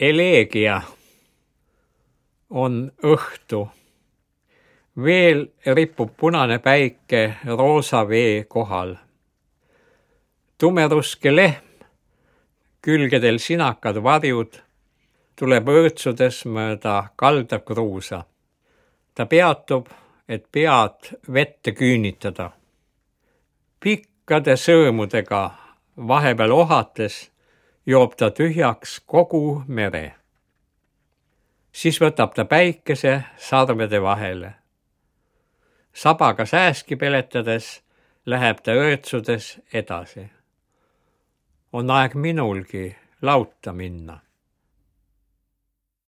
Elegia on õhtu. Veel ripub punane päike roosa vee kohal. Tumeruske lehm, külgedel sinakad varjud, tuleb õõtsudes mööda kalda kruusa. Ta peatub, et pead vette küünitada. Pikkade sõõmudega vahepeal ohates joob ta tühjaks kogu mere. Siis võtab ta päikese sarvede vahele. Sabaga sääski peletades läheb ta õõtsudes edasi. On aeg minulgi lauta minna.